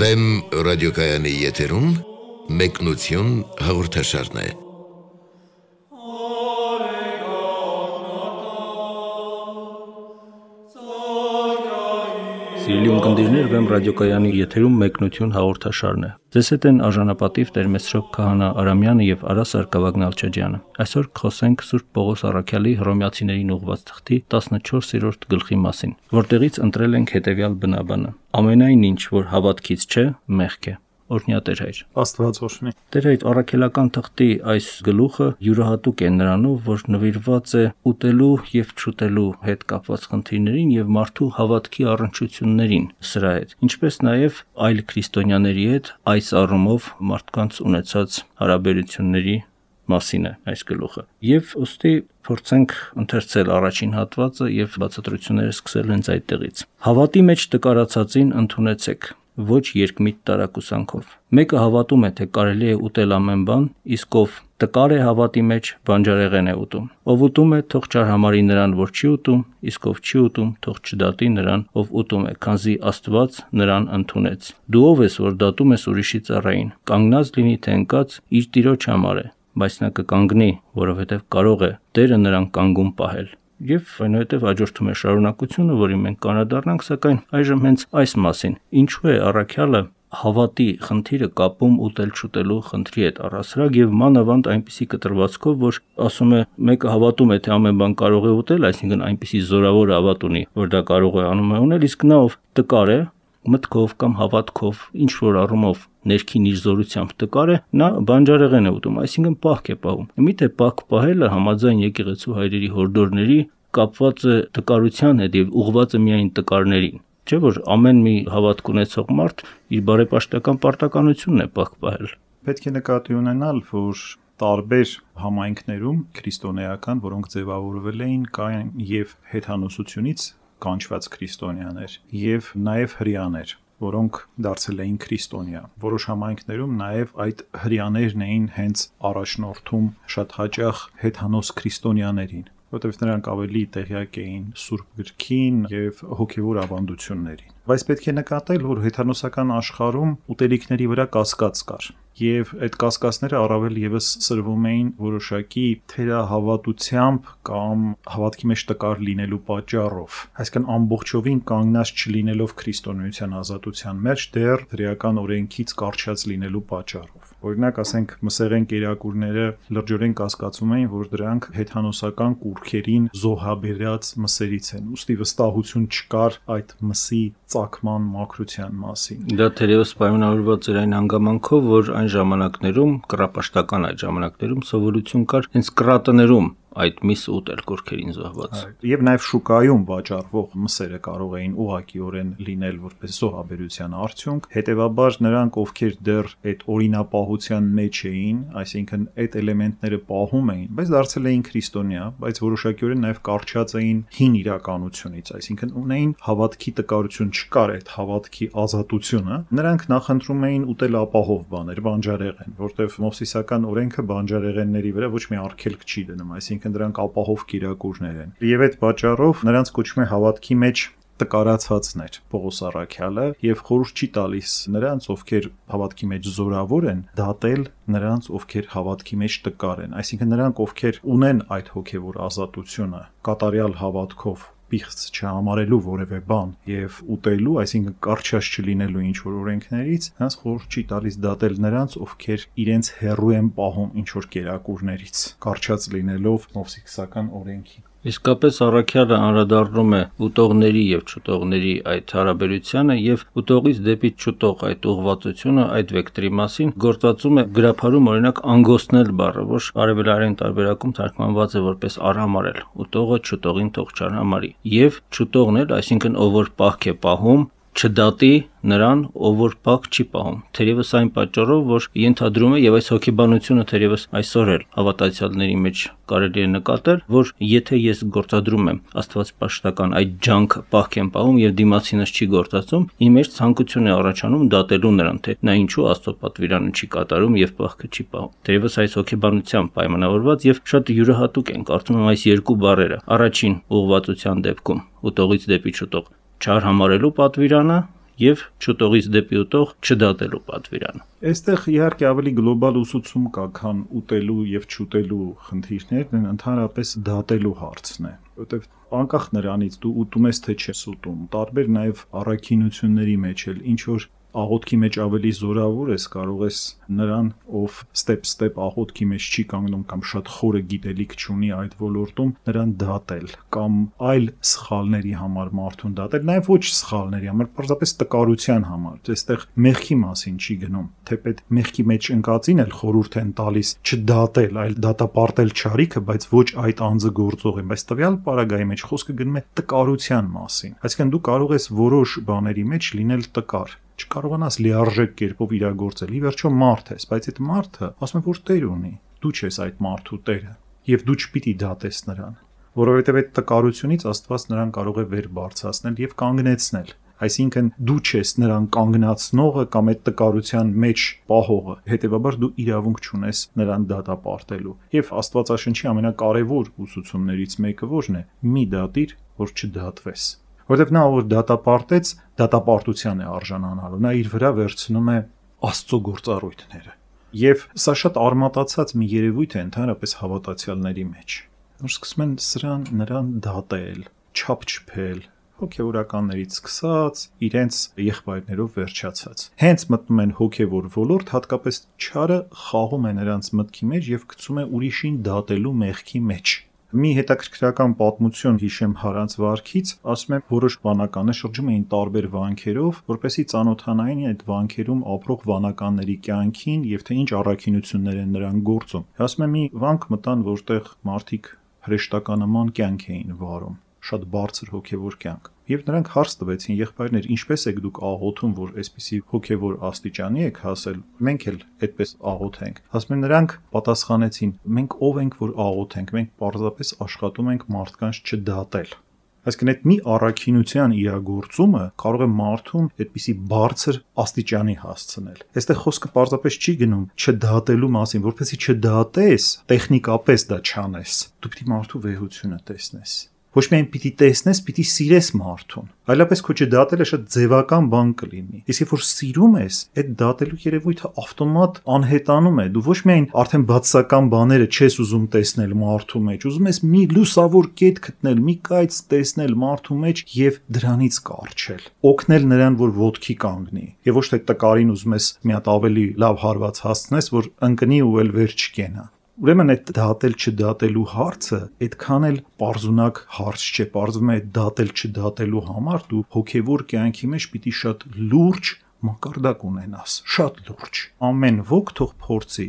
Վեմ ռադիոկայանի եթերում մեկնություն հաղորդաշարն է։ Սիրելի ունկնդիրներ, Վեմ ռադիոկայանի եթերում մեկնություն հաղորդաշարն է։ Ձեզ հետ են արժանապատիվ Տեր Մեսրոպ Քահանա Արամյանը եւ Արա Սարգսակյան Ալչաջյանը։ Այսօր կխոսենք Սուրբ Պողոս Առաքյալի Հռոմեացիներին ուղղված թղթի 14-րդ գլխի մասին, որտեղից ընտրել ենք հետեւյալ բնաբանը. ամենայն ինչ, որ հավատքից չէ, մեղք է։ Օրհնյա Տեր Հայր։ Աստված օրհնի։ Տեր Հայր, առաքելական թղթի այս գլուխը յուրահատուկ է նրանով, որ նվիրված է ուտելու եւ չուտելու հետ կապված խնդիրներին եւ մարդու հավատքի առնչություններին սրա հետ, ինչպես նաեւ այլ քրիստոնյաների հետ այս առումով մարդկանց ունեցած հարաբերությունների մասին է այս գլուխը։ Եվ ուստի փորձենք ընթերցել առաջին հատվածը եւ բացատրությունները սկսել հենց այդտեղից։ Հավատի մեջ տկարացածին ընդունեցեք, ոչ երկմիտ տարակուսանքով։ Մեկը հավատում է, թե կարելի է ուտել ամեն բան, իսկ ով տկար է հավատի մեջ, բանջարեղեն է ուտում։ Ով ուտում է, թող չարհամարի նրան, որ չի ուտում, իսկ ով չի ուտում, թող չդատի նրան, ով ուտում է, քանզի Աստված նրան ընդունեց։ Դու ով ես, որ դատում ես ուրիշի ծառային, կանգնած լինի թե ընկած, իր տիրոջ համար է, բայց նա կկանգնի, որովհետև կարող է Տերը նրան կանգուն պահել։ Եվ այնուհետև հաջորդում է շարունակությունը, որին մենք կանադառնանք, սակայն այժմ հենց այս մասին։ Ինչու է առաքյալը հավատի խնդիրը կապում ուտել-չուտելու խնդրի հետ առասարակ եւ մանավանդ այնպիսի կտրվածքով, որ ասում է մեկը հավատում է, թե ամեն բան կարող է ուտել, այսինքն այնպիսի զորավոր հավատ ունի, որ դա կարող է անում է ունել, իսկ նա ով տկար է, մտքով կամ հավատքով, ինչ որ առումով ներքին իր զորությամբ տկար է, նա բանջարեղեն է ուտում, այսինքն պահք է պահում։ Միթե պահք պահելը համաձայն եկեղեցու հայրերի հորդորների կապված է տկարության հետ եւ ուղղված է միայն տկարներին։ Չէ՞ որ ամեն մի հավատք ունեցող մարդ իր բարեպաշտական պարտականությունն է պահք պահել։ Պետք է նկատի ունենալ, որ տարբեր համայնքներում քրիստոնեական, որոնք ձևավորվել էին, կային եւ հեթանոսությունից կանչված քրիստոնյաներ եւ նաեւ հրեաներ, որոնք դարձել էին քրիստոնյա։ Որոշ համայնքներում նաեւ այդ հրեաներն էին հենց առաջնորդում շատ հաճախ հեթանոս քրիստոնյաներին, որտեղ նրանք ավելի տեղյակ էին Սուրբ գրքին եւ հոգեվոր ավանդություններին։ Բայց պետք է նկատել, որ հեթանոսական աշխարհում ուտելիքների վրա կասկած կար, եւ այդ կասկածները առավել եւս սրվում էին որոշակի թերահավատությամբ կամ հավատքի մեջ տկար լինելու պատճառով, այսինքն ամբողջովին կանգնած չլինելով քրիստոնեության ազատության մեջ, դեռ հրեական օրենքից կարճած լինելու պատճառով։ Օրինակ, ասենք, մսեղեն կերակուրները լրջորեն կասկածում էին, որ դրանք հեթանոսական կուռքերին զոհաբերած մսերից են, ուստի վստահություն չկար այդ մսի ծագման մաքրության մասին։ Դա թերևս պայմանավորված էր այն հանգամանքով, որ այն ժամանակներում, կռապաշտական այդ ժամանակներում սովորություն կար հենց կրատներում այդ միս ուտել կուռքերին զոհված։ Եվ նաև շուկայում վաճառվող մսերը կարող էին ուղղակիորեն լինել որպես զոհաբերության արդյունք, հետևաբար նրանք, ովքեր դեռ այդ օրինապահության մեջ էին, այսինքն այդ էլեմենտները պահում էին, բայց դարձել էին քրիստոնյա, բայց որոշակիորեն նաև կարճած էին հին իրականությունից, այսինքն ունեին հավատքի տկարություն, չկար այդ հավատքի ազատությունը, նրանք նախընտրում էին ուտել ապահով բաներ, բանջարեղեն, որտեղ մովսիսական օրենքը բանջարեղենների վրա ոչ մի արգելք չի դնում, այսինքն դրանք ապահով կերակուրներ են։ Եվ այդ պատճառով նրանց կոչվում է հավատքի մեջ տկարացածներ Պողոս Առաքյալը եւ խորհուրդ չի տալիս նրանց, ովքեր հավատքի մեջ զորավոր են, դատել նրանց, ովքեր հավատքի մեջ տկար են, այսինքն նրանք, ովքեր ունեն այդ հոգեվոր ազատությունը, կատարյալ հավատքով պիղծ չհամարելու որևէ բան եւ ուտելու, այսինքն կարճած չլինելու ինչ որ օրենքներից, նրանց խորհուրդ չի տալիս դատել նրանց, ովքեր իրենց հեռու են պահում ինչ որ կերակուրներից, կարճած լինելով մովսիսական օրենքի։ Իսկապես առաքյալը անդրադառնում է ուտողների եւ չուտողների այդ հարաբերությանը եւ ուտողից դեպի չուտող այդ ուղղվածությունը այդ վեկտորի մասին գործածում է գրափարում օրինակ անգոստնել բառը, որ արևելարեն տարբերակում թարգմանված է որպես արհամարել։ Ուտողը չուտողին թող չարհամարի եւ չուտողն էլ, այսինքն ով որ պահք է պահում, չդատի նրան, ով որ պահք չի պահում։ Թերևս այն պատճառով, որ ենթադրում է եւ այս հոգեբանությունը թերևս այսօր էլ հավատացյալների մեջ կարելի է նկատել, որ եթե ես գործադրում եմ աստվածպաշտական այդ ջանքը պահք եմ պահում եւ դիմացինս չի գործածում, իմ մեջ ցանկություն է առաջանում դատելու նրան, թե նա ինչու Աստծո պատվիրանը չի կատարում եւ պահքը չի պահում։ Թերևս այս հոգեբանությամբ պայմանավորված եւ շատ յուրահատուկ են կարծում եմ այս երկու բառերը։ Առաջին ուղղվածության դեպքում ուտողից դեպի չուտող չարհամարելու պատվիրանը եւ չուտողից դեպի ուտող չդատելու պատվիրանը։ Այստեղ իհարկե ավելի գլոբալ ուսուցում կա, քան ուտելու եւ չուտելու խնդիրներն, ընդհանրապես դատելու հարցն է, որովհետեւ անկախ նրանից դու ուտում ես թե չես ուտում, տարբեր նաեւ առաքինությունների մեջ էլ ինչ որ աղոթքի մեջ ավելի զորավոր ես, կարող ես նրան, ով ստեպ աղոթքի մեջ չի կանգնում կամ շատ խորը գիտելիք չունի այդ ոլորտում, նրան դատել կամ այլ սխալների համար մարդուն դատել, նաև ոչ սխալների համար, պարզապես տկարության համար։ Այստեղ մեղքի մասին չի գնում, թեպետ մեղքի մեջ ընկածին էլ խորհուրդ են տալիս չդատել, այլ դատապարտել չարիքը, բայց ոչ այդ անձը գործող է, բայց տվյալ պարագայի մեջ խոսքը գնում է տկարության մասին։ Այսինքն դու կարող ես որոշ բաների մեջ լինել տկար, չկարողանաս լիարժեք կերպով իրագործել։ Ի վերջո մարդ ես, բայց այդ մարդը ասում է, որ տեր ունի։ Դու չես այդ մարդու տերը, եւ դու չպիտի դատես նրան, որովհետեւ այդ տկարությունից Աստված նրան կարող է վեր բարձրացնել եւ կանգնեցնել։ Այսինքն դու չես նրան կանգնացնողը կամ այդ տկարության մեջ պահողը, հետեւաբար դու իրավունք չունես նրան դատապարտելու։ Եվ Աստվածաշնչի ամենակարևոր ուսուցումներից մեկը ո՞րն է։ Մի դատիր, որ չդատվես։ Որտեւ նա որ դատապարտեց, դատապարտության է արժանանալու, նա իր վրա վերցնում է Աստծո գործառույթները։ Եվ սա շատ արմատացած մի երևույթ է ընդհանրապես հավատացյալների մեջ, որ սկսում են նրան դատել, չափ չփել, հոգևորականներից սկսած, իրենց եղբայրներով վերջացած։ Հենց մտնում են հոգևոր ոլորտ, հատկապես չարը խաղում է նրանց մտքի մեջ եւ գցում է ուրիշին դատելու մեղքի մեջ։ Մի հետաքրքրական պատմություն հիշեմ Հարանց վարքից, ասում եմ, որոշ վանականներ շրջում էին տարբեր վանքերով, որպեսզի ծանոթանային այդ վանքերում ապրող վանականների կյանքին եւ թե ինչ առաքինություններ են նրանք գործում։ Ասում եմ, մի վանք մտան, որտեղ մարդիկ հրեշտականաման կյանք էին վարում, շատ բարձր հոգևոր կյանք։ Եվ նրանք հարց տվեցին, եղբայրներ, ինչպես եք դուք աղոթում, որ այսպիսի հոգևոր աստիճանի եք հասել, մենք էլ այդպես աղոթենք։ Ասում են, նրանք պատասխանեցին, մենք ով ենք, որ աղոթենք, մենք պարզապես աշխատում ենք մարդկանց չդատել։ Այսինքն այդ մի առաքինության իրագործումը կարող է մարդուն այդպիսի բարձր աստիճանի հասցնել։ Այստեղ խոսքը պարզապես չի գնում չդատելու մասին, որովհետեւ չդատես, տեխնիկապես դա չանես։ Դու պիտի մարդու վեհությունը տեսնես։ Ոչ միայն պիտի տեսնես, պիտի սիրես մարդուն։ Այլապես քո չդատելը շատ ձևական բան կլինի։ Իսկ երբ որ սիրում ես, այդ դատելու երևույթը ավտոմատ անհետանում է։ Դու ոչ միայն արդեն բացասական բաները չես ուզում տեսնել մարդու մեջ, ուզում ես մի լուսավոր կետ գտնել, մի կայծ տեսնել մարդու մեջ եւ դրանից կարճել։ Օգնել նրան, որ ոտքի կանգնի։ Եվ ոչ թե տկարին ուզում ես մի հատ ավելի լավ հարված հասցնես, որ ընկնի ու էլ վեր չկենա։ Ուրեմն այդ դատել չդատելու հարցը այդքան էլ պարզունակ հարց չէ, պարզվում է այդ դատել չդատելու համար դու հոգևոր կյանքի մեջ պիտի շատ լուրջ մակարդակ ունենաս, շատ լուրջ։ Ամեն ոք թող փորձի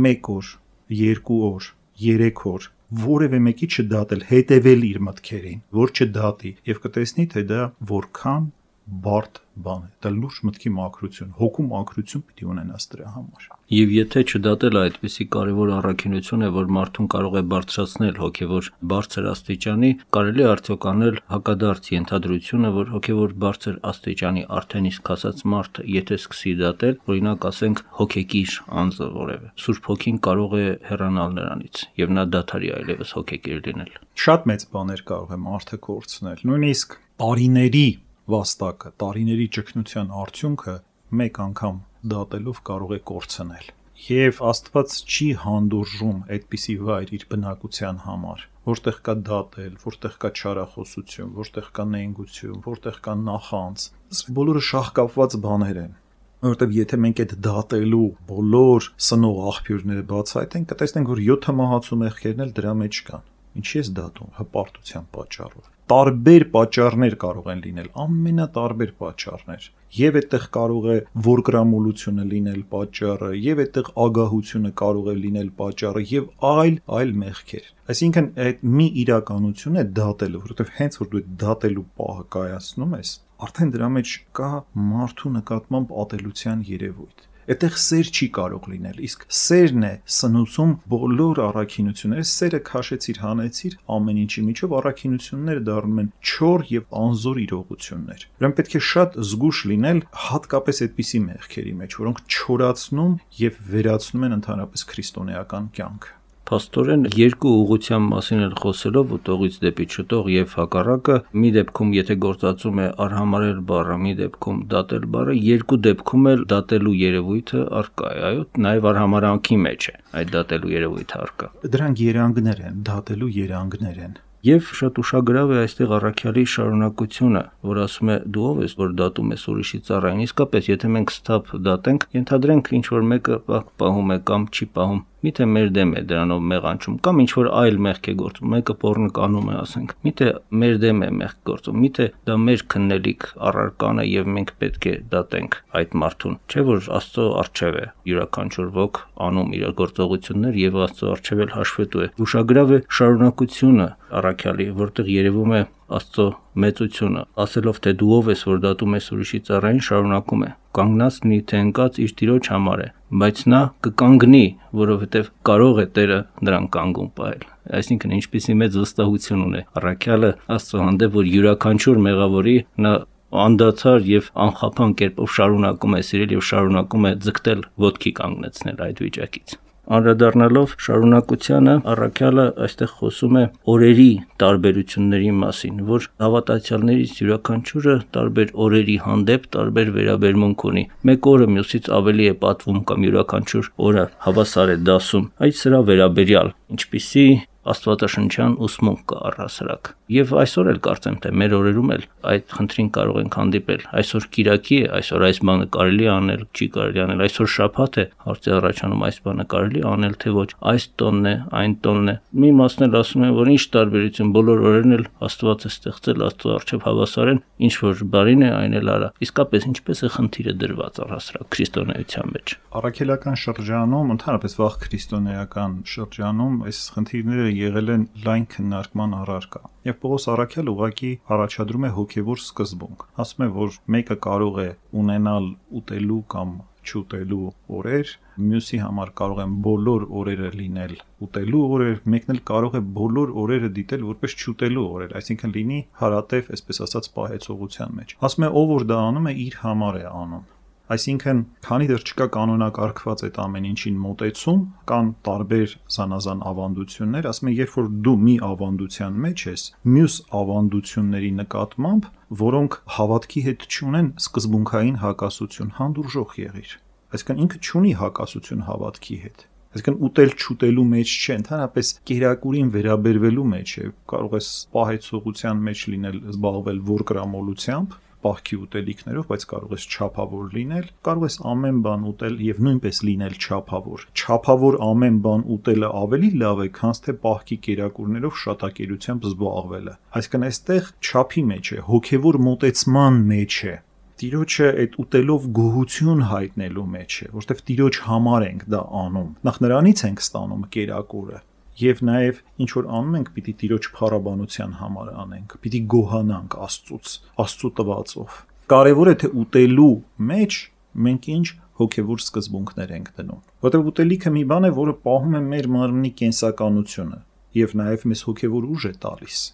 1 օր, 2 օր, 3 օր որևէ մեկի չդատել, հետևել իր մտքերին, որ չդատի եւ կտեսնի թե դա որքան բարդ բան է, դա լուրջ մտքի մաքրություն, հոգու մաքրություն պիտի ունենաս դրա համար։ Եվ եթե չդատելը այդպիսի կարևոր առաքինություն է, որ մարդուն կարող է բարձրացնել հոգևոր բարձր աստիճանի, կարելի է արդյոք անել հակադարձ ենթադրությունը, որ հոգևոր բարձր աստիճանի արդեն իսկ հասած մարդը, եթե սկսի դատել, օրինակ ասենք հոգեկիր անձը որևէ, Սուրբ Հոգին կարող է հեռանալ նրանից եւ նա դադարի այլևս հոգեկիր լինել։ Շատ մեծ բաներ կարող է մարդը կորցնել, նույնիսկ տարիների վաստակը, տարիների ճգնության արդյունքը մեկ անգամ դատելով կարող է կորցնել։ Եվ Աստված չի հանդուրժում այդպիսի վայր իր բնակության համար, որտեղ կա դատել, որտեղ կա չարախոսություն, որտեղ կա նենգություն, որտեղ կա նախանձ։ Բոլորը շահկապված բաներ են։ Որովհետև եթե մենք այդ դատելու բոլոր սնող աղբյուրները բացահայտենք, կտեսնենք, որ 7 մահացու մեղքերն էլ դրա մեջ կան։ Ինչի ես դատում, հպարտության պատճառով։ Տարբեր պատճառներ կարող են լինել, ամենատարբեր պատճառներ։ Եվ այդտեղ կարող է որգրամոլությունը լինել պատճառը, եւ այդտեղ ագահությունը կարող է լինել պատճառը, եւ այլ մեղքեր։ Այսինքն այդ մի իրականություն է դատելը, որովհետեւ հենց որ դու դատելու պահը կայացնում ես, արդեն դրա մեջ կա մարդու նկատմամբ ատելության երևույթ։ Այդտեղ սեր չի կարող լինել, իսկ սերն է սնուցում բոլոր առաքինությունները, սերը քաշեցիր, հանեցիր, ամեն ինչի միջով առաքինությունները դառնում են չոր եւ անզոր իրողություններ։ Ուրեմն պետք է շատ զգուշ լինել հատկապես այդպիսի մեղքերի մեջ, որոնք չորացնում եւ վերացնում են ընդհանրապես քրիստոնեական կյանքը։ Փաստորեն երկու ուղղության մասին էլ խոսելով ուտողից դեպի չուտող եւ հակառակը, մի դեպքում եթե գործածում է արհամարհել բառը, մի դեպքում դատել բառը, երկու դեպքում էլ դատելու երևույթը առկա է, այո, նաեւ արհամարհանքի մեջ է այդ դատելու երևույթը առկա։ Դրանք երանգներ են, դատելու երանգներ են։ Եվ շատ ուշագրավ է այստեղ առաքյալի շարունակությունը, որ ասում է դու ով ես, որ դատում ես ուրիշի ծառային։ Իսկապես, եթե մենք ստապ դատենք, ենթադրենք ինչ որ մեկը պահում է կամ չի պահում, միթե մեր դեմ է դրանով մեղանչում կամ ինչ որ այլ մեղք է գործում, մեկը պոռնո անում է, ասենք, միթե մեր դեմ է մեղք գործում, միթե դա մեր քննելիք առարկան է եւ մենք պետք է դատենք այդ մարդուն, չէ՞ որ Աստծո արչեւ է յուրաքանչյուր ոք անում իր գործողություններ եւ Աստծո արչեւ էլ հաշվետու է։ Ուշագրավ է շարունակությունը առաքյալի, որտեղ երևում է Աստծո մեծությունը, ասելով թե դու ով ես, որ դատում ես ուրիշի ծառային, շարունակում է. կանգնած լինի թե ընկած իր տիրոջ համար է, բայց նա կկանգնի, որովհետև կարող է Տերը նրան կանգուն պահել։ Այսինքն ինչպիսի մեծ վստահություն ունի առաքյալը Աստծո հանդեպ, որ յուրաքանչյուր մեղավորի նա անդադար եւ անխափան կերպով շարունակում է սիրել եւ շարունակում է ձգտել ոտքի կանգնեցնել այդ վիճակից։ Անդրադառնալով շարունակությանը, առաքյալը այստեղ խոսում է օրերի տարբերությունների մասին, որ հավատացյալներից յուրաքանչյուրը տարբեր օրերի հանդեպ տարբեր վերաբերմունք ունի։ Մեկ օրը մյուսից ավելի է պատվում կամ յուրաքանչյուր օրը հավասար է դասում։ Այդ սրա վերաբերյալ, ինչպիսի աստվածաշնչյան ուսմունք կա առհասարակ։ Եվ այսօր էլ կարծեմ թե մեր օրերում էլ այդ խնդրին կարող ենք հանդիպել։ Այսօր Կիրակի է, այսօր այս բանը կարելի անել, չի կարելի անել, այսօր շաբաթ է, հարցի առաջանում այս բանը կարելի անել թե ոչ, այս տոնն է, այն տոնն է։ Մի մասն էլ ասում են, որ ինչ տարբերություն, բոլոր օրերն էլ Աստված է ստեղծել, Աստծո առջև հավասար են, ինչ որ բարին է, այն էլ արա։ Իսկապես ինչպես է խնդիրը դրված առհասարակ քրիստոնեության մեջ։ Առաքելական շրջանում, ընդհանրապես վաղ քրիստոնեական շրջանում այս խնդիրները եղել են լայն քննարկման առարկա։ Եվ Պողոս առաքյալը ուղղակի առաջադրում է հոգևոր սկզբունք։ Ասում է, որ մեկը կարող է ունենալ ուտելու կամ չուտելու օրեր, մյուսի համար կարող են բոլոր օրերը լինել ուտելու օրեր, մեկն էլ կարող է բոլոր օրերը դիտել որպես չուտելու օրեր, այսինքն լինի հարատև, այսպես ասած, պահեցողության մեջ։ Ասում է, ով որ դա անում է, իր համար է անում։ Այսինքն, քանի դեռ չկա կանոնակարգված այդ ամեն ինչին մոտեցում, կան տարբեր զանազան ավանդություններ, ասում եմ, երբ որ դու մի ավանդության մեջ ես, մյուս ավանդությունների նկատմամբ, որոնք հավատքի հետ չունեն սկզբունքային հակասություն, հանդուրժող եղիր։ Այսինքն ինքը չունի հակասություն հավատքի հետ։ Այսինքն ուտել-չուտելու մեջ չէ, ընդհանրապես կերակուրին վերաբերվելու մեջ է, կարող ես պահեցողության մեջ լինել, զբաղվել որկրամոլությամբ, պահքի ուտելիքներով, բայց կարող ես չափավոր լինել, կարող ես ամեն բան ուտել եւ նույնպես լինել չափավոր։ Չափավոր ամեն բան ուտելը ավելի լավ է, քան թե պահքի կերակուրներով շատակերությամբ զբաղվելը։ Այսինքն այստեղ չափի մեջ է, հոգեվոր մոտեցման մեջ է։ Տիրոջը այդ ուտելով գոհություն հայտնելու մեջ է, որովհետև Տիրոջ համար ենք դա անում։ Նախ նրանից ենք ստանում կերակուրը։ Եվ նաև ինչ որ անում ենք, պիտի Տիրոջ փառաբանության համար անենք, պիտի գոհանանք Աստծուց, Աստծու տվածով։ Կարևոր է թե ուտելու մեջ մենք ինչ հոգևոր սկզբունքներ ենք դնում։ Որտեղ ուտելիքը մի բան է, որը պահում է մեր մարմնի կենսականությունը եւ նաև մեզ հոգևոր ուժ է տալիս։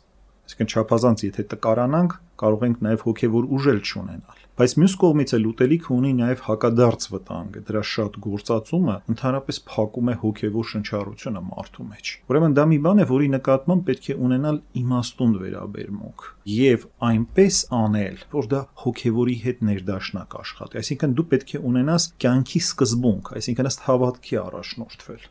Այսինքն չափազանց եթե տկարանանք, կարող ենք նաև հոգևոր ուժ էլ չունենալ։ Բայց մյուս կողմից էլ ուտելիքը ունի նաև հակադարձ վտանգ, դրա շատ գործածումը ընդհանրապես փակում է հոգևոր շնչառությունը մարդու մեջ։ Ուրեմն դա մի բան է, որի նկատմամբ պետք է ունենալ իմաստուն վերաբերմունք եւ այնպես անել, որ դա հոգևորի հետ ներդաշնակ աշխատի։ Այսինքն դու պետք է ունենաս կյանքի սկզբունք, այսինքն ըստ հավատքի առաջնորդվել,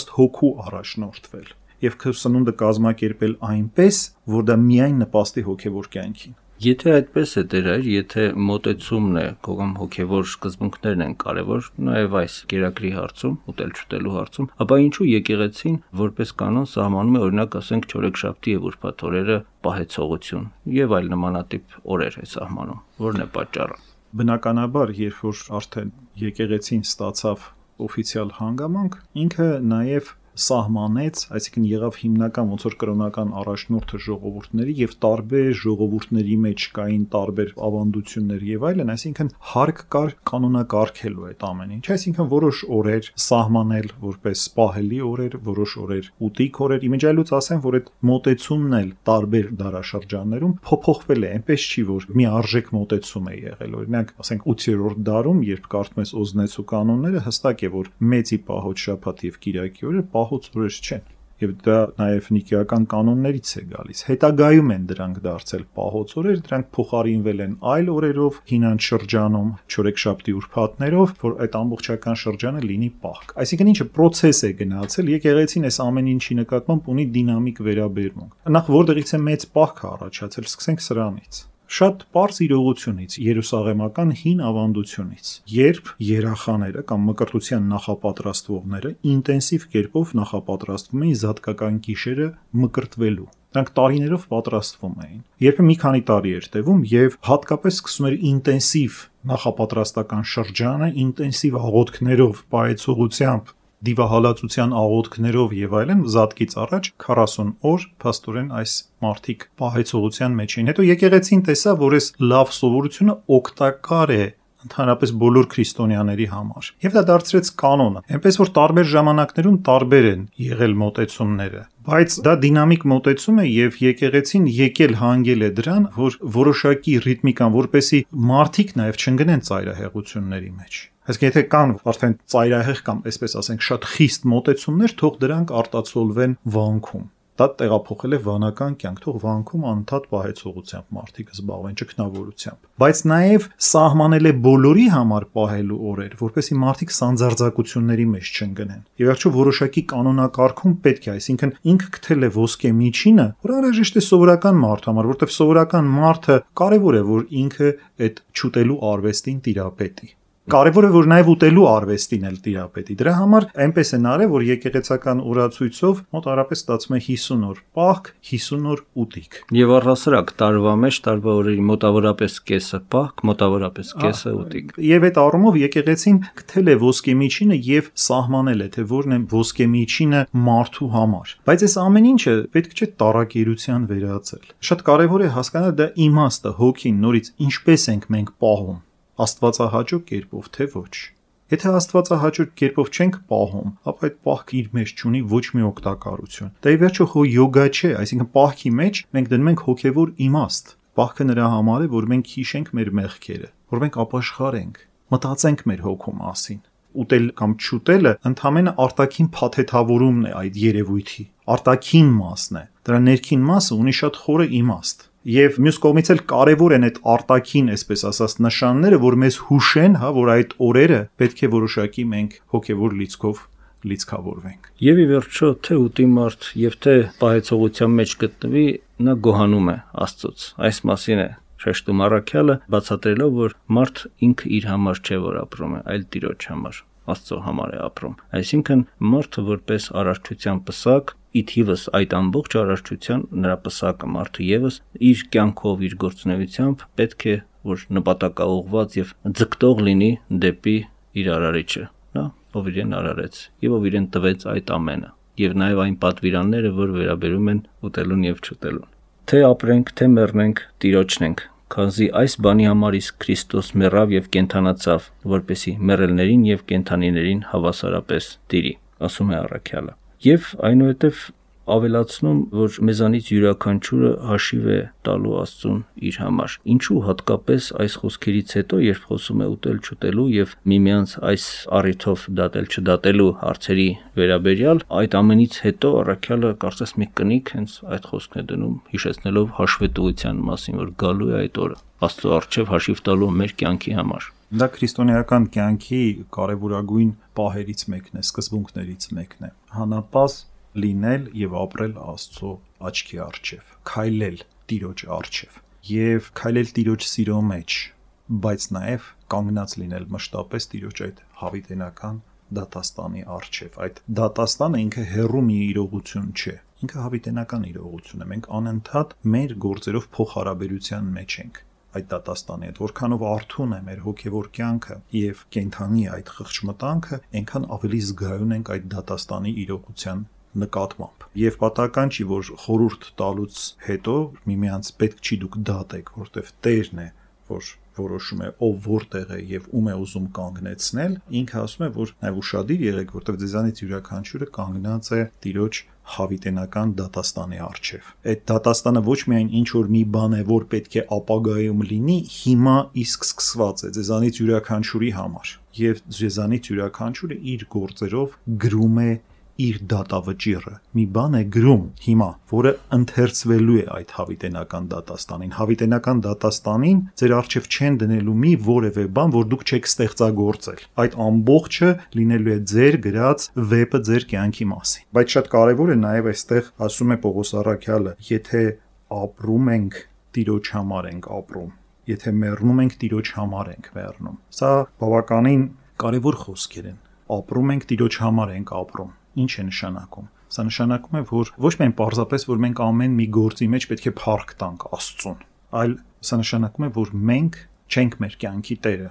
ըստ հոգու առաջնորդվել եւ քո սնունդը կազմակերպել այնպես, որ դա միայն նպաստի հոգևոր կյանքին։ Եթե այդպես է Տեր, եթե մոտեցումն է, կամ հոգևոր սկզբունքներն են կարևոր, նաև այս կերակրի հարցում, ուտել-չուտելու հարցում, ապա ինչու եկեղեցին որպես կանոն սահմանում է, օրինակ ասենք չորեքշաբթի եւ ուրբաթ օրերը պահեցողություն եւ այլ նմանատիպ օրեր է սահմանում, որն է պատճառը։ Բնականաբար, երբ որ արդեն եկեղեցին ստացավ օֆիցիալ հանգամանք, ինքը նաև սահմանեց, այսինքն եղավ հիմնական ոնց որ կրոնական առաջնորդը ժողովուրդների եւ տարբեր ժողովուրդների մեջ կային տարբեր ավանդություններ եւ այլն, այսինքն հարկ կար կանոնակարգելու այդ ամեն ինչ, այսինքն որոշ օրեր սահմանել որպես պահելի օրեր, որոշ օրեր ուտիկ օրեր, իմիջայլուց ասեմ, որ այդ մոտեցումն էլ տարբեր դարաշրջաններում փոփոխվել է, այնպես չի որ մի արժեք մոտեցում է եղել, օրինակ ասենք 8-րդ դարում, երբ կարդում ես Օզնեցու կանոնները, հստակ է որ մեծի պահոց շաբաթ եւ կիրակի օրը պահոց օրեր չեն։ Եվ դա նաև նիկեական կանոններից է գալիս։ Հետագայում են դրանք դարձել պահոց օրեր, դրանք փոխարինվել են այլ օրերով հինանց շրջանում, չորեքշաբթի ուրբաթներով, որ այդ ամբողջական շրջանը լինի պահք։ Այսինքն ինչը process է գնացել, եկեղեցին այս ամեն ինչի նկատմամբ ունի դինամիկ վերաբերմունք։ Նախ որտեղից է մեծ պահք առաջացել, սկսենք սրանից։ Շատ པարզ իրողությունից, երուսաղեմական հին ավանդությունից, երբ երախաները կամ մկրտության նախապատրաստվողները ինտենսիվ կերպով նախապատրաստվում էին զատկական գիշերը մկրտվելու։ Դրանք տարիներով պատրաստվում էին։ Երբ մի քանի տարի էր տևում եւ հատկապես սկսում էր ինտենսիվ նախապատրաստական շրջանը, ինտենսիվ աղոթքներով, պայծողությամբ, դիվահալածության աղոթքներով եւ այլն, զատկից առաջ 40 օր փաստորեն այս մարդիկ պահեցողության մեջ էին։ Հետո եկեղեցին տեսավ, որ այս լավ սովորությունը օգտակար է ընդհանրապես բոլոր քրիստոնյաների համար։ Եվ դա դարձրեց կանոնը։ Այնպես որ տարբեր ժամանակներում տարբեր են եղել մոտեցումները, բայց դա դինամիկ մոտեցում է եւ եկեղեցին եկել հանգել է դրան, որ որոշակի ռիթմիկան, որպեսի մարդիկ նաեւ չընկնեն ծայրահեղությունների մեջ։ Այսինքն եթե կան արդեն ծայրահեղ կամ այսպես ասենք շատ խիստ մոտեցումներ, թող դրանք արտացոլվեն վանքում։ Դա տեղափոխել է վանական կյանք, թող վանքում անընդհատ պահեցողությամբ մարդիկ զբաղվեն ճգնավորությամբ։ Բայց նաև սահմանել է բոլորի համար պահելու օրեր, որպեսզի մարդիկ սանձարձակությունների մեջ չընկնեն։ Եվ վերջո որոշակի կանոնակարգում պետք է, այսինքն ինքը գտել է ոսկե միջինը, որ անհրաժեշտ է սովորական մարդ համար, որտեղ սովորական մարդը կարևոր է, որ ինքը այդ չուտելու արվեստին տիրապետի։ Կարևոր է որ նաև ուտելու արվեստին էլ տիրապետի։ Դրա համար այնպես են արել, որ եկեղեցական օրացույցով մոտարապես ստացվում է 50 օր պահք, 50 օր ուտիկ։ Եվ առհասարակ տարվա մեջ տարվա օրերի մոտավորապես կեսը պահք, մոտավորապես կեսը ուտիկ։ Եվ այդ առումով եկեղեցին գտել է ոսկե միջինը եւ սահմանել է, թե որն է ոսկե միջինը մարդու համար։ Բայց այս ամեն ինչը պետք չէ տարակերության վերածել։ Շատ կարևոր է հասկանալ դա իմաստը, հոգին, նորից ինչպես ենք մենք պահում։ Աստվածահաճո կերպով թե ոչ։ Եթե աստվածահաճո կերպով չենք պահում, ապա այդ պահքը իր մեջ չունի ոչ մի օգտակարություն։ Դա ի վերջո հո յոգա չէ, այսինքն պահքի մեջ մենք դնում ենք հոգևոր իմաստ։ Պահքը նրա համար է, որ մենք հիշենք մեր մեղքերը, որ մենք ապաշխարենք, մտածենք մեր հոգու մասին։ Ուտել կամ չուտելը ընդհանրապես արտաքին փաթեթավորումն է այդ երևույթի, արտաքին մասն է։ Դրա ներքին մասը ունի շատ խորը իմաստ։ Եվ մյուս կողմից էլ կարևոր են այդ արտաքին, այսպես ասած, նշանները, որ մեզ հուշեն, որ այդ օրերը պետք է որոշակի մենք հոգևոր լիցքով լիցքավորվենք։ Եվ ի վերջո թե ուտի մարդ եւ թե պահեցողության մեջ գտնվի, նա գոհանում է Աստծուց։ Այս մասին է շեշտում առաքյալը, բացատրելով, որ մարդ ինքը իր համար չէ, որ ապրում է, այլ Տիրոջ համար, Աստծո համար է ապրում։ Այսինքն մարդը որպես արարչության պսակ, ի թիվս այդ ամբողջ արարչության նրա պսակը մարդը եւս իր կյանքով, իր գործունեությամբ պետք է որ նպատակաուղղված եւ ձգտող լինի դեպի իր արարիչը, նա ով իրեն արարեց եւ ով իրեն տվեց այդ ամենը, եւ նաեւ այն պատվիրանները, որ վերաբերում են ուտելուն եւ չուտելուն։ Թե ապրենք, թե մեռնենք, Տիրոջն ենք, քանզի այս բանի համար իսկ Քրիստոս մեռավ եւ կենթանացավ, որպեսի մեռելներին եւ կենթանիներին հավասարապես տիրի, ասում է առաքյալը։ Եվ այնուհետև ավելացնում, որ մեզանից յուրաքանչյուրը հաշիվ է տալու Աստծուն իր համար։ Ինչու հատկապես այս խոսքերից հետո, երբ խոսում է ուտել չուտելու եւ միմյանց այս առիթով դատել չդատելու հարցերի վերաբերյալ, այդ ամենից հետո առաքյալը կարծես մի կնիկ հենց այդ խոսքն է դնում, հիշեցնելով հաշվետվության մասին, որ գալու է այդ օրը Աստծո առջև հաշիվ տալու մեր կյանքի համար։ Դա քրիստոնեական կյանքի կարևորագույն պահերից մեկն է, սկզբունքներից մեկն է։ Հանապազ լինել եւ ապրել Աստծո աչքի առջև, քայլել Տիրոջ առջև եւ քայլել Տիրոջ սիրո մեջ, բայց նաեւ կանգնած լինել մշտապես Տիրոջ այդ հավիտենական դատաստանի առջև։ Այդ դատաստանը ինքը հեռու մի իրողություն չէ, ինքը հավիտենական իրողություն է։ Մենք անընդհատ մեր գործերով փոխհարաբերության մեջ ենք այդ դատաստանի հետ, որքանով արթուն է մեր հոգևոր կյանքը եւ կենթանի այդ խղճմտանքը, այնքան ավելի զգայուն ենք այդ դատաստանի իրողության նկատմամբ։ Եվ պատահական չի, որ խորհուրդ տալուց հետո միմյանց պետք չի դուք դատեք, որտեվ Տերն է, որ որոշում է ով որտեղ է եւ ում է ուզում կանգնեցնել, ինքը ասում է, որ նաեւ ուշադիր եղեք, որտեվ ձեզանից յուրաքանչյուրը կանգնած է Տիրոջ հավիտենական դատաստանի առջև։ Այդ դատաստանը ոչ միայն ինչ որ մի բան է, որ պետք է ապագայում լինի, հիմա իսկ սկսված է ձեզանից յուրաքանչյուրի համար։ Եվ ձեզանից յուրաքանչյուրը իր գործերով գրում է իր դատավճիռը։ Մի բան է գրում հիմա, որը ընթերցվելու է այդ հավիտենական դատաստանին։ Հավիտենական դատաստանին ձեր առջև չեն դնելու մի որևէ բան, որ դուք չեք ստեղծագործել։ Այդ ամբողջը լինելու է ձեր գրած վեպը ձեր կյանքի մասին։ Բայց շատ կարևոր է նաև այստեղ ասում է Պողոս առաքյալը, եթե ապրում ենք, Տիրոջ համար ենք ապրում։ Եթե մեռնում ենք, Տիրոջ համար ենք մեռնում։ Սա բավականին կարևոր խոսքեր են։ Ապրում ենք, Տիրոջ համար ենք ապրում։ Ինչ է նշանակում։ Սա նշանակում է, որ ոչ միայն պարզապես, որ մենք ամեն մի գործի մեջ պետք է փառք տանք Աստծուն, այլ սա նշանակում է, որ մենք չենք մեր կյանքի տերը,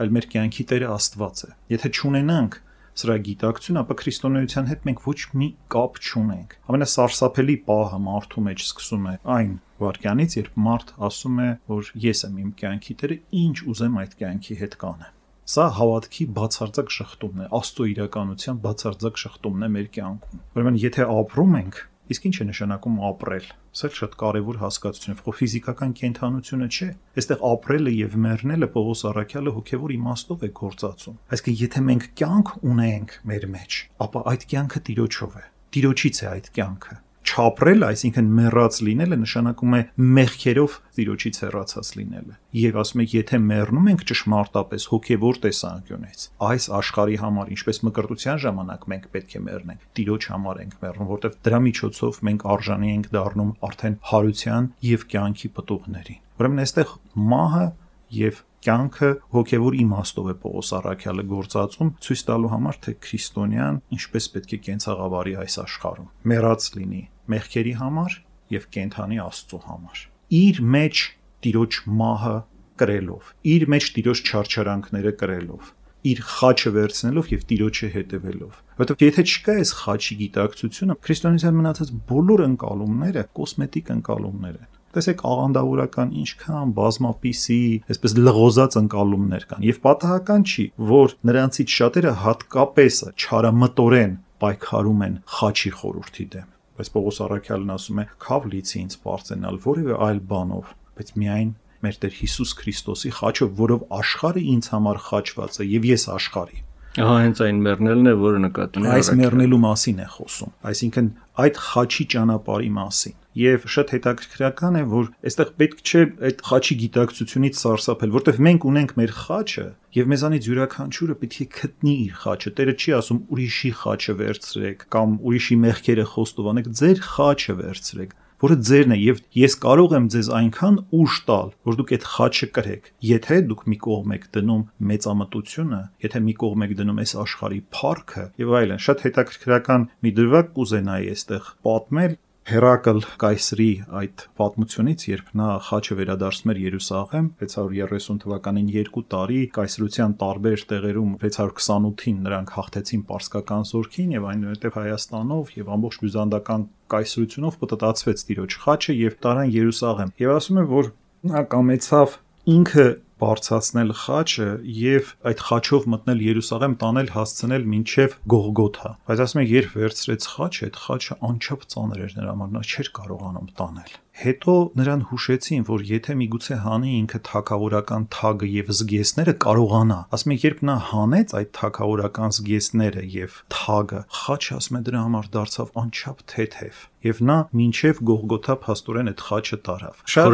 այլ մեր կյանքի տերը Աստված է։ Եթե չունենանք սրա գիտակցություն, ապա քրիստոնեության հետ մենք ոչ մի կապ չունենք։ Ամենասարսափելի պահը մարդու մեջ սկսում է այն վարքյանից, երբ մարդ ասում է, որ ես եմ իմ կյանքի տերը, ինչ ուզեմ այդ կյանքի հետ կանեմ։ Սա հավատքի բացարձակ շղթումն է, Աստծո իրականության բացարձակ շղթումն է մեր կյանքում։ Ուրեմն եթե ապրում ենք, իսկ ինչ է նշանակում ապրել։ Սա շատ կարևոր հասկացություն է, ֆիզիկական կենդանությունը չէ։ Այստեղ ապրելը եւ մեռնելը Պողոս առաքյալը հոգեվոր իմաստով է գործածում։ Այսինքն եթե մենք կյանք ունենք մեր մեջ, ապա այդ կյանքը Տիրոջով է։ Տիրոջից է այդ կյանքը։ Չապրելը, այսինքն մեռած լինելը նշանակում է մեղքերով Տիրոջից հեռացած լինելը։ Եվ ասում է, եթե մեռնում ենք ճշմարտապես հոգևոր տեսանկյունից, այս աշխարհի համար, ինչպես մկրտության ժամանակ մենք պետք է մեռնենք, Տիրոջ համար ենք մեռնում, որտեղ դրա միջոցով մենք արժանի ենք դառնում արդեն հարության եւ կյանքի պտուղներին։ Ուրեմն այստեղ մահը եւ կյանքը հոգևոր իմաստով է Պողոս առաքյալը գործածում, ցույց տալու համար, թե քրիստոնյան ինչպես պետք է կենցաղավարի այս աշխարհում։ Մեռած լինի մեղքերի համար եւ կենթանի Աստծո համար։ Իր մեջ Տիրոջ մահը կրելով, իր մեջ Տիրոջ չարչարանքները կրելով, իր խաչը վերցնելով եւ Տիրոջը հետևելով։ Որովհետեւ եթե չկա այս խաչի գիտակցությունը, քրիստոնեության մնացած բոլոր ընկալումները կոսմետիկ ընկալումներ են։ Տեսեք աղանդավորական ինչքան բազմապիսի, այսպես լղոզած ընկալումներ կան, եւ պատահական չի, որ նրանցից շատերը հատկապես չարամտորեն պայքարում են խաչի խորհրդի դեմ։ Բայց Պողոս առաքյալն ասում է, «Քավ լիցի ինձ բարձենալ որևէ այլ բանով, բայց միայն մեր Տեր Հիսուս Քրիստոսի խաչով, որով աշխարհը ինձ համար խաչված է եւ ես աշխարհի»։ Ահա հենց այն մեռնելն է, որը նկատի ունի։ Այս մեռնելու մասին է խոսում, այսինքն այդ խաչի ճանապարհի մասին։ Եվ շատ հետաքրքրական է, որ այստեղ պետք չէ այդ խաչի գիտակցությունից սարսափել, որտեղ մենք ունենք մեր խաչը եւ մեզանից յուրաքանչյուրը պետք է գտնի իր խաչը։ Տերը չի ասում ուրիշի խաչը վերցրեք կամ ուրիշի մեղքերը խոստովանեք, ձեր խաչը վերցրեք, որը ձերն է, եւ ես կարող եմ ձեզ այնքան ուժ տալ, որ դուք այդ խաչը կրեք, եթե դուք մի կողմ եք դնում մեծամտությունը, եթե մի կողմ եք դնում այս աշխարհի փառքը եւ այլն։ Շատ հետաքրքրական մի դրվագ կուզենայի այստեղ պատմել Հերակլ կայսրի այդ պատմությունից, երբ նա խաչը վերադարձնում էր Երուսաղեմ 630 թվականին 2 տարի կայսրության տարբեր տեղերում 628-ին նրանք հաղթեցին պարսկական զորքին եւ այնուհետեւ Հայաստանով եւ ամբողջ բյուզանդական կայսրությունով պտտացվեց Տիրոջ խաչը եւ տարան Երուսաղեմ։ Եվ ասում է, որ նա կամեցավ ինքը բարձրացնել խաչը եւ այդ խաչով մտնել Երուսաղեմ, տանել հասցնել մինչեւ Գողգոթա։ Բայց ասում է, երբ վերցրեց խաչը, այդ խաչը անչափ ծանր էր նրա համար, նա չէր կարողանում տանել։ Հետո նրան հուշեցին, որ եթե միգուցե հանի ինքը թագավորական թագը եւ զգեստները կարողանա։ Ասում է, երբ նա հանեց այդ թագավորական զգեստները եւ թագը, խաչը ասում է դրա համար դարձավ անչափ թեթև։ Եվ նա մինչև Գողգոթա փաստորեն այդ խաչը տարավ։ Շատ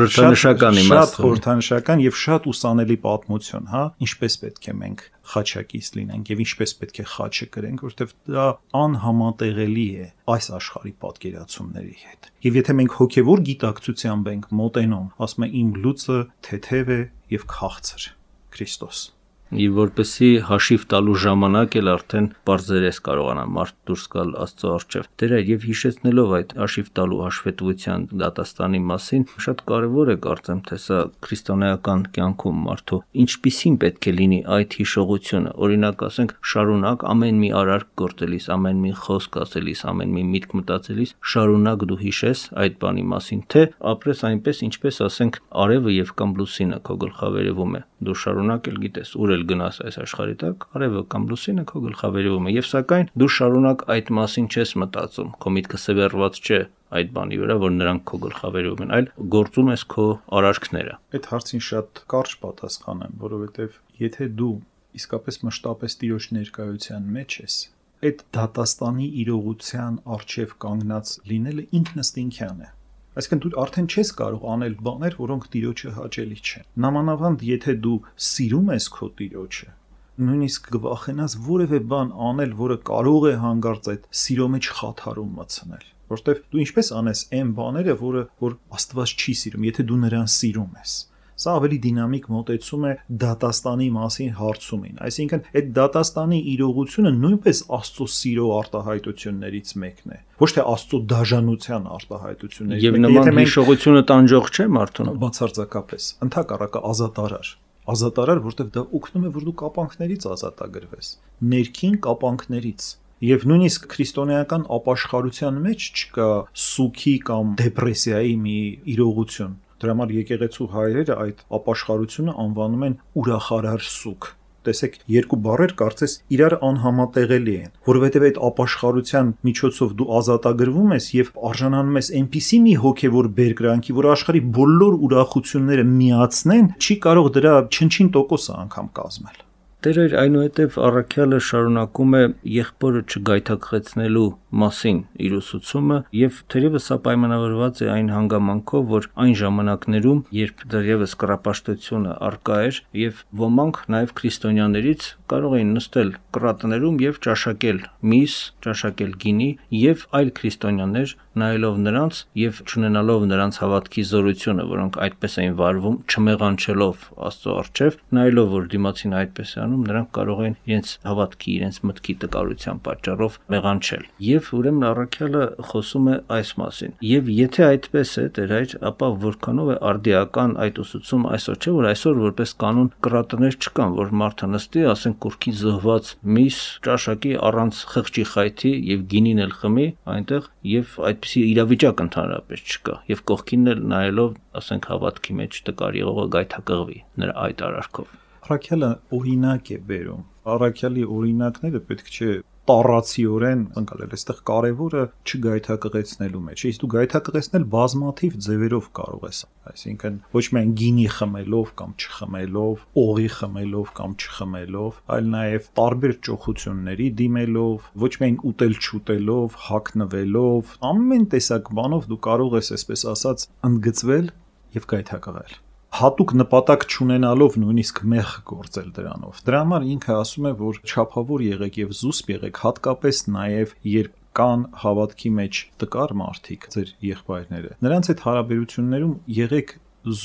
խորհրդանշական եւ շատ ուսանելի պատմություն, հա, ինչպես պետք է մենք խաչակից լինենք եւ ինչպես պետք է խաչը կրենք, որովհետեւ դա անհամատեղելի է այս աշխարհի պատկերացումների հետ։ Եվ եթե մենք հոգեվոր գիտակցությամբ ենք մոտենում, ասում է իմ լուծը թեթև է եւ քաղցր Քրիստոս։ Եվ որպեսի հաշիվ տալու ժամանակ էլ արդեն բարձրես կարողանա մարդ դուրս գալ Աստծո առջև։ Տերը եւ հիշեցնելով այդ հաշիվ տալու հաշվետվության դատաստանի մասին, շատ կարեւոր է կարծեմ, թե սա քրիստոնեական կյանքում մարդու ինչպիսին պետք է լինի այդ հիշողությունը։ Օրինակ ասենք, շարունակ ամեն մի արարք գործելիս, ամեն մի խոսք ասելիս, ամեն մի միտք մտածելիս, շարունակ դու հիշես այդ բանի մասին, թե ապրես այնպես, ինչպես ասենք, արևը եւ կամ լուսինը քո գլխավերևում է։ Դու շարունակ էլ գիտես ուր գնաս այս աշխարհի տակ, արևը կամ լուսինը քո գլխավերևում է, եւ սակայն դու շարունակ այդ մասին չես մտածում, քո միտքը սևեռված չէ այդ բանի վրա, որ նրանք քո գլխավերևում են, այլ գործում ես քո արարքները։ Այդ հարցին շատ կարճ պատասխան եմ, որովհետեւ եթե դու իսկապես մշտապես Տիրոջ ներկայության մեջ ես, այդ դատաստանի իրողության արժև կանգնած լինելը ինքնըստինքյան է։ Այսինքն դու արդեն չես կարող անել բաներ, որոնք Տիրոջը հաճելի չեն։ Նամանավանդ եթե դու սիրում ես քո Տիրոջը, նույնիսկ կվախենաս որևէ բան անել, որը կարող է հանգարց այդ սիրո մեջ խաթարում մտցնել, որովհետև դու ինչպես անես այն բաները, որ Աստված չի սիրում, եթե դու նրան սիրում ես։ Սա ավելի դինամիկ մոտեցում է դատաստանի մասին հարցումին, այսինքն այդ դատաստանի իրողությունը նույնպես Աստծո սիրո արտահայտություններից մեկն է, ոչ թե Աստծո դաժանության արտահայտություններից մեկն է։ Եվ նման հիշողությունը տանջող չէ մարդուն։ Բացարձակապես, ընդհակառակը ազատարար, որտեղ դա օգնում է, որ դու կապանքներից ազատագրվես, ներքին կապանքներից։ Եվ նույնիսկ քրիստոնեական ապաշխարության մեջ չկա սուգի կամ դեպրեսիայի մի իրողություն։ Դրա համար եկեղեցու հայրերը այդ ապաշխարությունը անվանում են ուրախարար սուգ։ Տեսեք, երկու բառեր կարծես իրար անհամատեղելի են, որովհետև այդ ապաշխարության միջոցով դու ազատագրվում ես եւ արժանանում ես այնպիսի մի հոգեվոր բերկրանքի, որ աշխարհի բոլոր ուրախությունները միացնեն, չի կարող դրա չնչին տոկոսը անգամ կազմել։ Տերը այնուհետև առաքյալը շարունակում է եղբորը չգայթակղեցնելու մասին իր ուսուցումը եւ թերևս սա պայմանավորված է այն հանգամանքով, որ այն ժամանակներում, երբ դեռևս կռապաշտությունը առկա էր եւ ոմանք նաեւ քրիստոնյաներից կարող էին նստել կռատներում եւ ճաշակել միս, ճաշակել գինի եւ այլ քրիստոնյաներ նայելով նրանց եւ չունենալով նրանց հավատքի զորությունը, որոնք այդպես էին վարվում, չմեղանչելով Աստծո առջև, նայելով որ դիմացին այդպես է անում, նրանք կարող են իրենց հավատքի, իրենց մտքի տկարության պատճառով մեղանչել։ Եվ ուրեմն առաքյալը խոսում է այս մասին։ Եվ եթե այդպես է, Տեր հայր, ապա որքանով է արդիական այդ ուսուցումը այսօր, չէ՞ որ այսօր որպես կանոն կռատներ չկան, որ մարդը նստի, ասենք կուրքի զոհված միս, ճաշակի առանց խղճի խայթի եւ գինին էլ խմի այնտեղ եւ այդպիսի իրավիճակ ընդհանրապես չկա եւ կողքին էլ նայելով ասենք հավատքի մեջ տկար եղողը գայթակղվի նրա այդ արարքով։ Առաքյալը օրինակ է բերում։ Առաքյալի օրինակները պետք չէ տառացիորեն ընկալել, այստեղ կարևորը չգայթակղեցնելու մեջ։ Իսկ դու գայթակղեցնել բազմաթիվ ձևերով կարող ես, այսինքն ոչ միայն գինի խմելով կամ չխմելով, օղի խմելով կամ չխմելով, այլ նաև տարբեր ճոխությունների դիմելով, ոչ միայն ուտել-չուտելով, հագնվելով, ամեն տեսակ բանով դու կարող ես, այսպես ասած, ընդգծվել եւ գայթակղել։ Հատուկ նպատակ չունենալով նույնիսկ մեղ գործել դրանով։ Դրա համար ինքը ասում է, որ չափավոր եղեք եւ զուսպ եղեք, հատկապես նաեւ երբ կան հավատքի մեջ տկար մարդիկ, ձեր եղբայրները։ Նրանց այդ հարաբերություններում եղեք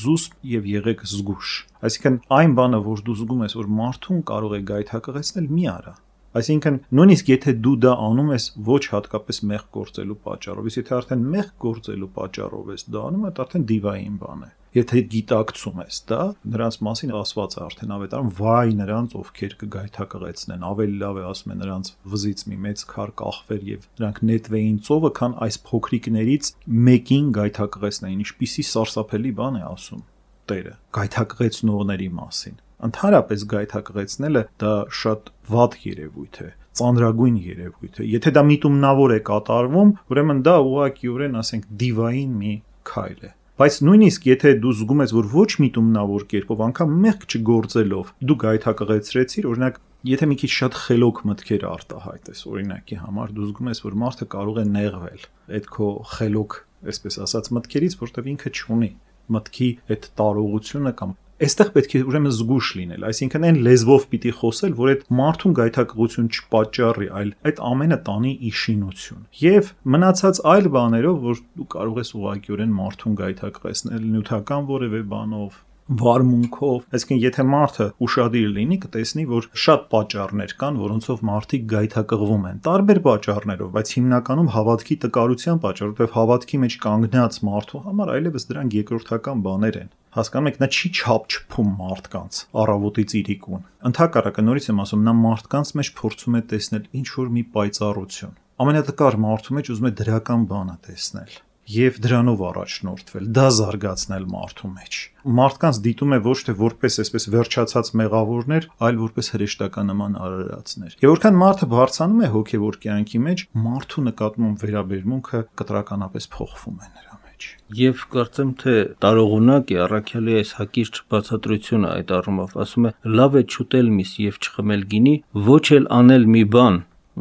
զուսպ եւ եղեք զգուշ։ Այսինքն այն բանը, որ դու զգում ես, որ մարդուն կարող է գայթակղեցնել, մի արա։ Այսինքն նույնիսկ եթե դու դա անում ես ոչ հատկապես մեղ գործելու պատճառով, իսկ եթե արդեն մեղ գործելու պատճառով ես դա անում, դա արդեն դիվային բան է։ Եթե գիտակցում ես դա, նրանց մասին ասված է արդեն ավետարանում, վայ նրանց, ովքեր կգայթակղեցնեն, ավելի լավ է ասում է նրանց վզից մի մեծ քար կախվեր եւ նրանք նետվեին ծովը, քան այս փոքրիկներից մեկին գայթակղեցնեին։ Ինչպիսի սարսափելի բան է ասում Տերը գայթակղեցնողների մասին։ Ընդհանրապես գայթակղեցնելը դա շատ վատ երևույթ է, ծանրագույն երևույթ է։ Եթե դա միտումնավոր է կատարվում, ուրեմն դա ուղղակիորեն, ասենք, դիվային մի քայլ է։ Բայց նույնիսկ եթե դու զգում ես, որ ոչ միտումնավոր կերպով, անգամ մեղք չգործելով, դու գայթակղեցրեցիր, օրինակ, եթե մի քիչ շատ խելոք մտքեր արտահայտես, օրինակի համար, դու զգում ես, որ մարդը կարող է նեղվել այդ քո խելոք, այսպես ասած, մտքերից, որտեղ ինքը չունի մտքի այդ տարողությունը կամ այստեղ պետք է ուրեմն զգուշ լինել, այսինքն այն լեզվով պիտի խոսել, որ այդ մարդուն գայթակղություն չպատճառի, այլ այդ ամենը տանի իշինություն։ Եվ մնացած այլ բաներով, որ դու կարող ես ուղղակիորեն մարդուն գայթակղեցնել նյութական որևէ բանով, վարմունքով, այսինքն եթե մարդը ուշադիր լինի, կտեսնի, որ շատ պատճառներ կան, որոնցով մարդիկ գայթակղվում են, տարբեր պատճառներով, բայց հիմնականում հավատքի տկարության պատճառով, որովհետև հավատքի մեջ կանգնած մարդու համար այլևս դրանք երկրորդական բաներ են։ Հասկանում եք, նա չի չափչփում մարդկանց առավոտից իրիկուն։ Ընդհակառակը նորից եմ ասում, նա մարդկանց մեջ փորձում է տեսնել ինչ որ մի պայծառություն։ Ամենատկար մարդու մեջ ուզում է դրական բանը տեսնել եւ դրանով առաջնորդվել, դա զարգացնել մարդու մեջ։ Մարդկանց դիտում է ոչ թե որպես այսպես վերջացած մեղավորներ, այլ որպես հրեշտականման արարածներ։ Եվ որքան մարդը բարձրանում է հոգեվոր կյանքի մեջ, մարդու նկատմամբ վերաբերմունքը կտրականապես փոխվում է նրա մեջ։ Եվ կարծեմ թե տարողունակ է առաքյալի այս հակիրճ բացատրությունը այդ առումով, ասում է՝ լավ է չուտել միս եւ չխմել գինի, ոչ էլ անել մի բան,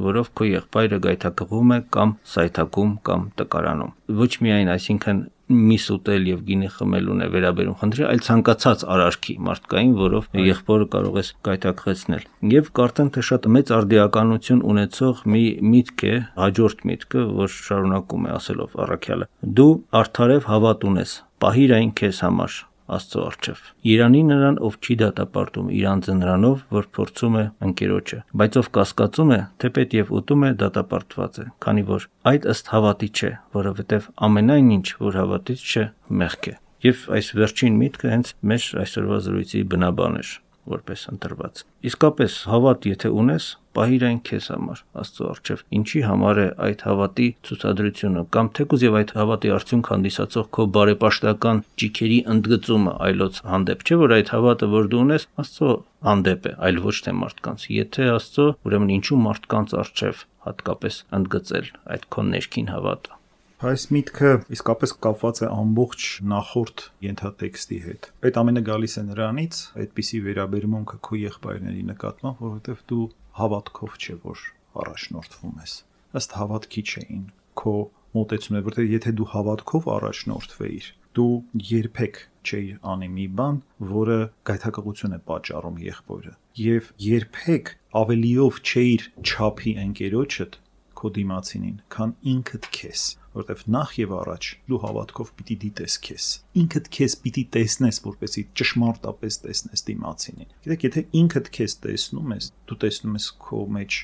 որով քո եղբայրը գայթակղում է կամ սայթակում կամ տկարանում։ Ոչ միայն, այսինքն միս ուտել եւ գինի խմելուն է վերաբերում խնդիրը, այլ ցանկացած արարքի մարդկային, որով եղբորը կարող ես գայթակղեցնել։ Եվ կարծեմ թե շատ մեծ արդիականություն ունեցող մի միտք է, հաջորդ միտքը, որ շարունակում է ասելով առաքյալը. դու արդարև հավատ ունես, պահիր այն քեզ համար Աստծո առջև։ Երանի նրան, ով չի դատապարտում իր անձը նրանով, որ փորձում է ընկերոջը, բայց ով կասկածում է, թեպետ եւ ուտում է, դատապարտված է, քանի որ այդ ըստ հավատի չէ, որովհետեւ ամենայն ինչ, որ հավատից չէ, մեղք է։ Եվ այս վերջին միտքը հենց մեր այսօրվա զրույցի բնաբան էր, որպես ընտրված։ Իսկապես հավատ եթե ունես, պահիր այն քեզ համար Աստծո առջև։ Ինչի համար է այդ հավատի ցուցադրությունը կամ թեկուզ եւ այդ հավատի արդյունք հանդիսացող քո բարեպաշտական ճիքերի ընդգծումը այլոց հանդեպ, չէ՞ որ այդ հավատը, որ դու ունես, Աստծո հանդեպ է, այլ ոչ թե մարդկանց։ Եթե Աստծո, ուրեմն ինչու մարդկանց առջև հատկապես ընդգծել այդ քո ներքին հավատը։ Այս միտքը իսկապես կապված է ամբողջ նախորդ ենթատեքստի հետ։ Այդ ամենը գալիս է նրանից, այդպիսի վերաբերմունքը քո եղբայրների նկատմամբ, որովհետև դու հավատքով չէ որ առաջնորդվում ես։ Ըստ հավատքի չէին քո մոտեցումը, որովհետև եթե դու հավատքով առաջնորդվեիր, դու երբեք չէիր անի մի բան, որը գայթակղություն է պատճառում եղբորը, եւ երբեք ավելիով չէիր չափի ընկերոջդ քո դիմացինին, քան ինքդ քեզ, որովհետև նախ եւ առաջ դու հավատքով պիտի դիտես քեզ։ Ինքդ քեզ պիտի տեսնես, որպեսզի ճշմարտապես տեսնես դիմացինին։ Գիտեք, եթե ինքդ քեզ տեսնում ես, դու տեսնում ես քո մեջ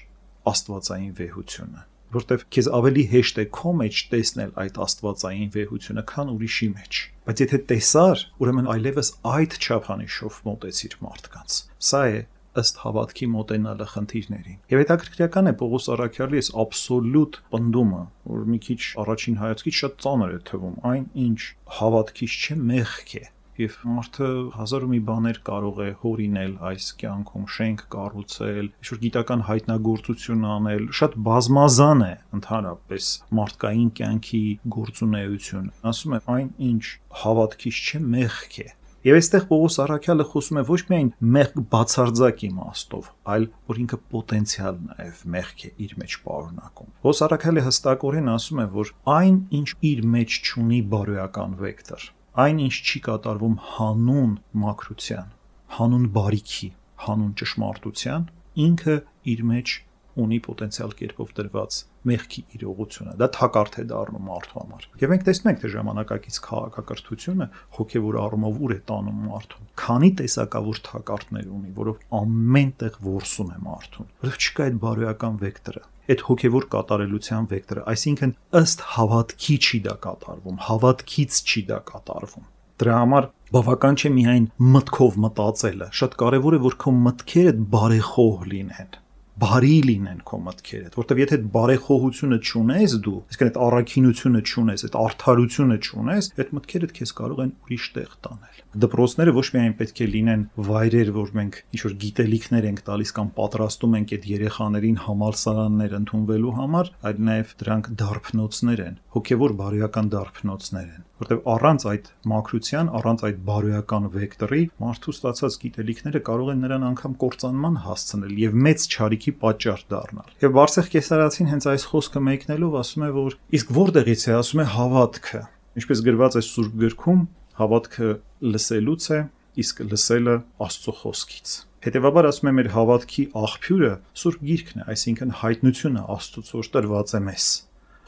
աստվածային վեհությունը, որովհետև քեզ ավելի հեշտ է քո մեջ տեսնել այդ աստվածային վեհությունը, քան ուրիշի մեջ։ Բայց եթե տեսար, ուրեմն այլևս այդ չափանիշով մոտեցիր մարդկանց։ Սա է ըստ հավատքի մոտենալը խնդիրներին։ Եվ հետաքրքրական է Պողոս առաքյալի այս աբսոլյուտ պնդումը, որ մի քիչ առաջին հայացքից շատ ծանր է թվում, այն ինչ հավատքից չէ, մեղք է։ Եվ մարդը հազար ու մի բաներ կարող է հորինել այս կյանքում, շենք կառուցել, ինչ-որ գիտական հայտնագործություն անել, շատ բազմազան է ընդհանրապես մարդկային կյանքի գործունեությունը։ Ասում է, այն ինչ հավատքից չէ, մեղք է։ Եվ այստեղ Պողոս առաքյալը խոսում է ոչ միայն մեղք բացարձակ իմաստով, այլ որ ինքը պոտենցիալ նաև մեղք է իր մեջ պարունակում։ Պողոս առաքյալը հստակորեն ասում է, որ այն, ինչ իր մեջ չունի բարոյական վեկտոր, այն, ինչ չի կատարվում հանուն մաքրության, հանուն բարիքի, հանուն ճշմարտության, ինքը իր մեջ ունի պոտենցիալ կերպով դրված մեղքի իրողությունը։ Դա թակարդ է դառնում մարդու համար։ Եվ մենք տեսնում ենք, թե ժամանակակից քաղաքակրթությունը հոգևոր առումով ուր է տանում մարդուն։ Քանի տեսակավոր թակարդներ ունի, որով ամեն տեղ որսում է մարդուն։ Որովհետև չկա այդ բարոյական վեկտորը, այդ հոգևոր կատարելության վեկտորը, այսինքն ըստ հավատքի չի դա կատարվում, հավատքից չի դա կատարվում։ Դրա համար բավական չէ միայն մտքով մտածելը, շատ կարևոր է, որ քո մտքերը բարեխոհ լինեն, բարի լինեն քո մտքերը, որտեվ եթե բարեխոհությունը չունես դու, այսինքն այդ առաքինությունը չունես, այդ արդարությունը չունես, այդ մտքերդ քեզ կարող են ուրիշ տեղ տանել։ Դպրոցները ոչ միայն պետք է լինեն վայրեր, որ մենք ինչ-որ գիտելիքներ ենք տալիս կամ պատրաստում ենք այդ երեխաներին համալսարաններ ընդունվելու համար, այլ նաև դրանք դարբնոցներ են, հոգևոր բարոյական դարբնոցներ են, որտեվ առանց այդ մաքրության, առանց այդ բարոյական վեկտորի մարդու ստացած գիտելիքները կարող են նրան անգամ կործանման հասցնել եւ մեծ չարիքի պատճառ դառնալ։ Եվ Բարսեղ Կեսարացին հենց այս խոսքը մեկնելով ասում է, որ իսկ որտեղից է, ասում է հավատքը։ Ինչպես գրված է Սուրբ գրքում, հավատքը լսելուց է, իսկ լսելը Աստծո խոսքից։ Հետևաբար ասում է մեր հավատքի աղբյուրը Սուրբ Գիրքն է, այսինքն հայտնությունը Աստծոց, որ տրված է մեզ,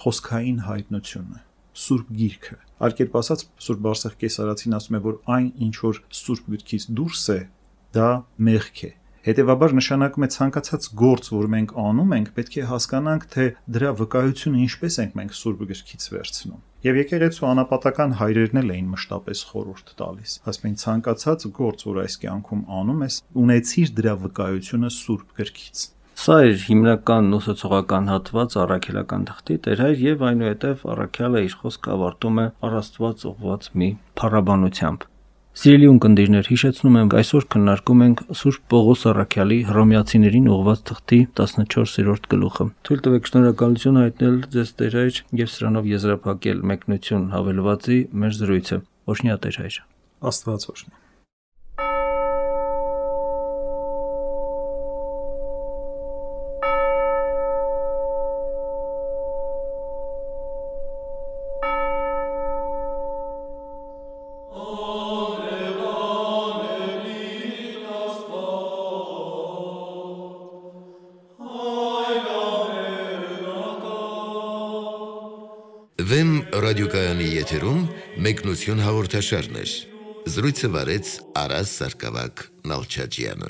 խոսքային հայտնությունը, Սուրբ Գիրքը։ Այլ կերպ ասած, Սուրբ Բարսեղ Կեսարացին ասում է, որ այն, ինչ որ Սուրբ Գրքից դուրս է, դա մեղք է։ Հետևաբար նշանակում է ցանկացած գործ, որ մենք անում ենք, պետք է հասկանանք, թե դրա վկայությունը ինչպես ենք մենք Սուրբ Գրքից վերցնում։ Եվ եկեղեցու անապատական հայրերն էլ էին մշտապես խորհուրդ տալիս։ Ասում են ցանկացած գործ, որ այս կյանքում անում ես, ունեցիր դրա վկայությունը Սուրբ Գրքից։ Սա էր հիմնական ուսուցողական հատված առաքելական թղթի տերհայր եւ այնուհետեւ առաքյալը իր խոսքը ավարտում է առաստված ուղված մի փառաբանությամբ։ Սիրելի ունկնդիրներ, հիշեցնում եմ, այսօր քննարկում ենք Սուրբ Պողոս առաքյալի Հռոմեացիներին ուղված թղթի 14-րդ գլուխը։ Թույլ տվեք շնորհակալություն հայտնել ձեզ տերհայր եւ սրանով եզրափակել մեկնություն հավելվածի մեր զրույցը։ Օրհնյա տերհայր։ Աստված օրհնի։ Վեմ ռադիոկայանի եթերում մեկնություն հաղորդաշարներ։ Զրույցը վարեց Արաս Սարգսակ Նալչաջյանը։